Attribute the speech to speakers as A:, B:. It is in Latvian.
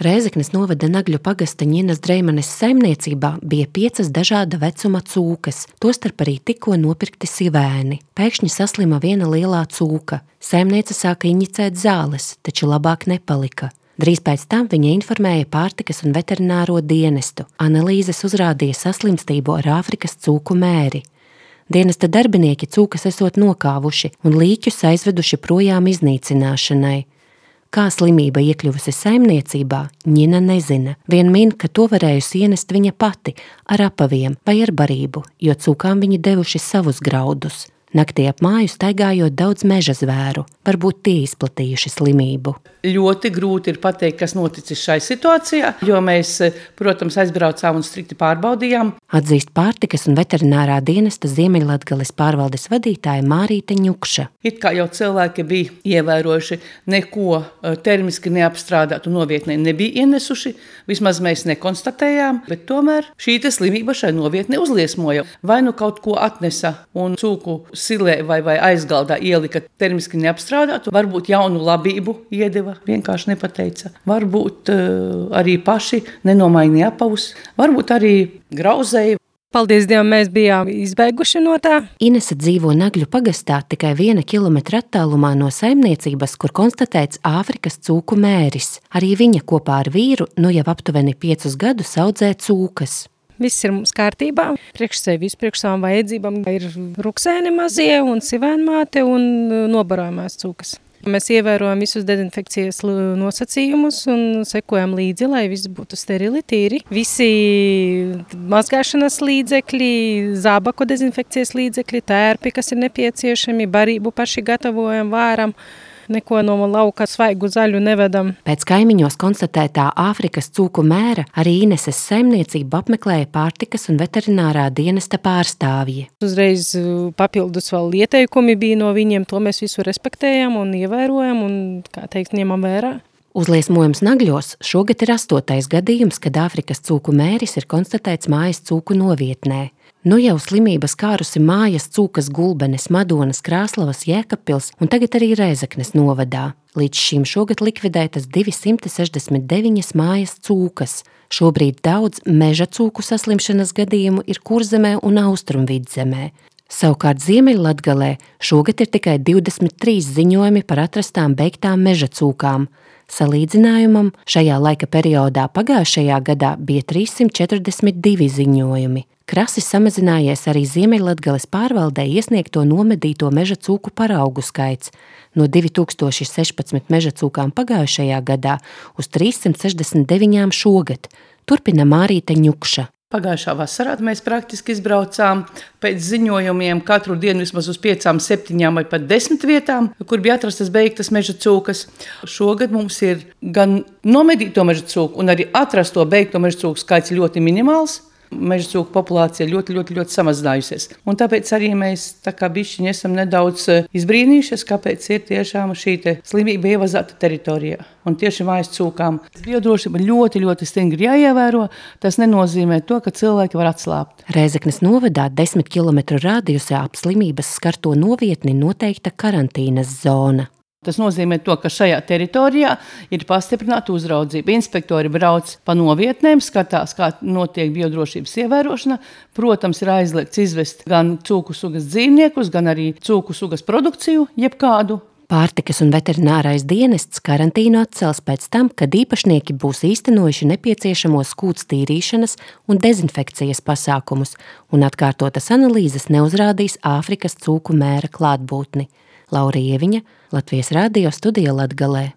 A: Rēzeknes novada Nagļu pagasta Ņinas Dreimanes saimniecībā bija 5 dažāda vecuma cūkas, tostarp arī tikko nopirkti sivēni. Pēkšņi saslima viena lielā cūka. Saimniece sāka injicēt zāles, taču labāk nepalika. Drīz pēc tam viņa informēja pārtikas un veterināro dienestu. Analīzes uzrādīja saslimstību ar Āfrikas cūku mēri. Dienesta darbinieki cūkas esot nokāvuši un līķus aizveduši projām iznīcināšanai. Kā slimība iekļuvusi saimniecībā, Ņina nezina. Vien min, ka to varējusi ienest viņa pati ar apaviem vai ar barību, jo cūkām viņi devuši savus graudus. Naktī ap māju staigājot daudz meža zvēru, varbūt tie izplatījuši slimību.
B: Ļoti grūti ir pateikt, kas noticis šai situācijā, jo mēs, protams, aizbraucām un strikti pārbaudījām.
A: Atzīst pārtikas un veterinārā dienesta Ziemeļlatgales pārvaldes vadītāja Mārīte Ņukša.
B: It kā jau cilvēki bija ievērojuši, neko termiski neapstrādātu novietnē nebija ienesuši, vismaz mēs nekonstatējām, bet tomēr šī slimība šai novietnē uzliesmoja. Vai nu kaut ko atnesa un cūku silē vai aizgaldā ielika termiski neapstrādātu, varbūt jaunu labību iedeva, vienkārši nepateica. Varbūt arī paši nenomainīja apavus, varbūt arī grauzēja.
C: Paldies Dievam, mēs bijām izbeiguši no tā.
A: Inese dzīvo Nagļu pagastā tikai 1 kilometra attālumā no saimniecības, kur konstatēts Āfrikas cūku mēris. Arī viņa kopā ar vīru jau aptuveni 5 gadus audzē cūkas.
C: Viss ir mums kārtībā. Priekš sevis, priekš savām vajadzībām ir ruksēni mazie un sivēnmāte un nobarojumās cūkas. Mēs ievērojam visus dezinfekcijas nosacījumus un sekojam līdzi, lai viss būtu sterili, tīri. Visi mazgāšanas līdzekļi, zābaku dezinfekcijas līdzekļi, tērpi, kas ir nepieciešami, barību paši gatavojam, vāram. Neko no lauka svaigu zaļu nevedam.
A: Pēc kaimiņos konstatētā Āfrikas cūku mēra arī Ineses saimniecību apmeklēja pārtikas un veterinārā dienesta pārstāvji.
C: Uzreiz papildus vēl ieteikumi bija no viņiem, to mēs visu respektējam un ievērojam un, kā teikt, ņemam vērā.
A: Uzliesmojums Nagļos šogad ir 8. gadījums, kad Āfrikas cūku mēris ir konstatēts mājas cūku novietnē. Nu jau slimības kārusi mājas cūkas Gulbenes, Madonas, Krāslavas, Jēkabpils un tagad arī Rēzeknes novadā. Līdz šim šogad likvidētas 269 mājas cūkas. Šobrīd daudz meža cūku saslimšanas gadījumu ir Kurzemē un Austrumvidzemē. Savukārt Ziemeļlatgalē šogad ir tikai 23 ziņojumi par atrastām beigtām meža cūkām. Salīdzinājumam šajā laika periodā pagājušajā gadā bija 342 ziņojumi. Krasi samazinājies arī Ziemeļlatgales pārvaldē iesniegto nomedīto meža cūku paraugu skaits no 2016 meža cūkām pagājušajā gadā uz 369 šogad, turpina Mārīte Ņukša.
B: Pagājušā vasarā mēs praktiski izbraucām pēc ziņojumiem katru dienu vismaz uz 5, 7 vai pat 10 vietām, kur bija atrastas beigtas meža cūkas. Šogad mums ir gan nomedīto meža cūku un arī atrasto beigto meža cūku skaits ļoti minimāls. Meža cūku populācija ļoti samazinājusies. Un tāpēc arī mēs tā kā bišķiņi esam nedaudz izbrīnījušies, kāpēc ir tiešām šī slimība ievazāta teritorijā. Un tieši mājas cūkām biodrošība ļoti stingri jāievēro. Tas nenozīmē to, ka cilvēki var atslābt.
A: Rēzeknes novadā 10 kilometru rādījusā ap slimības skarto novietni noteikta karantīnas zona.
B: Tas nozīmē to, ka šajā teritorijā ir pastiprināta uzraudzība. Inspektori brauc pa novietnēm, skatās, kā notiek biodrošības ievērošana. Protams, ir aizliegts izvest gan cūku sugas dzīvniekus, gan arī cūku sugas produkciju, jebkādu.
A: Pārtikas un veterinārais dienests karantīnu atcels pēc tam, kad īpašnieki būs īstenojuši nepieciešamos skūts tīrīšanas un dezinfekcijas pasākumus, un atkārtotas analīzes neuzrādīs Āfrikas cūku mēra klātbūtni. Laura Ieviņa, Latvijas Radio studija Latgalē.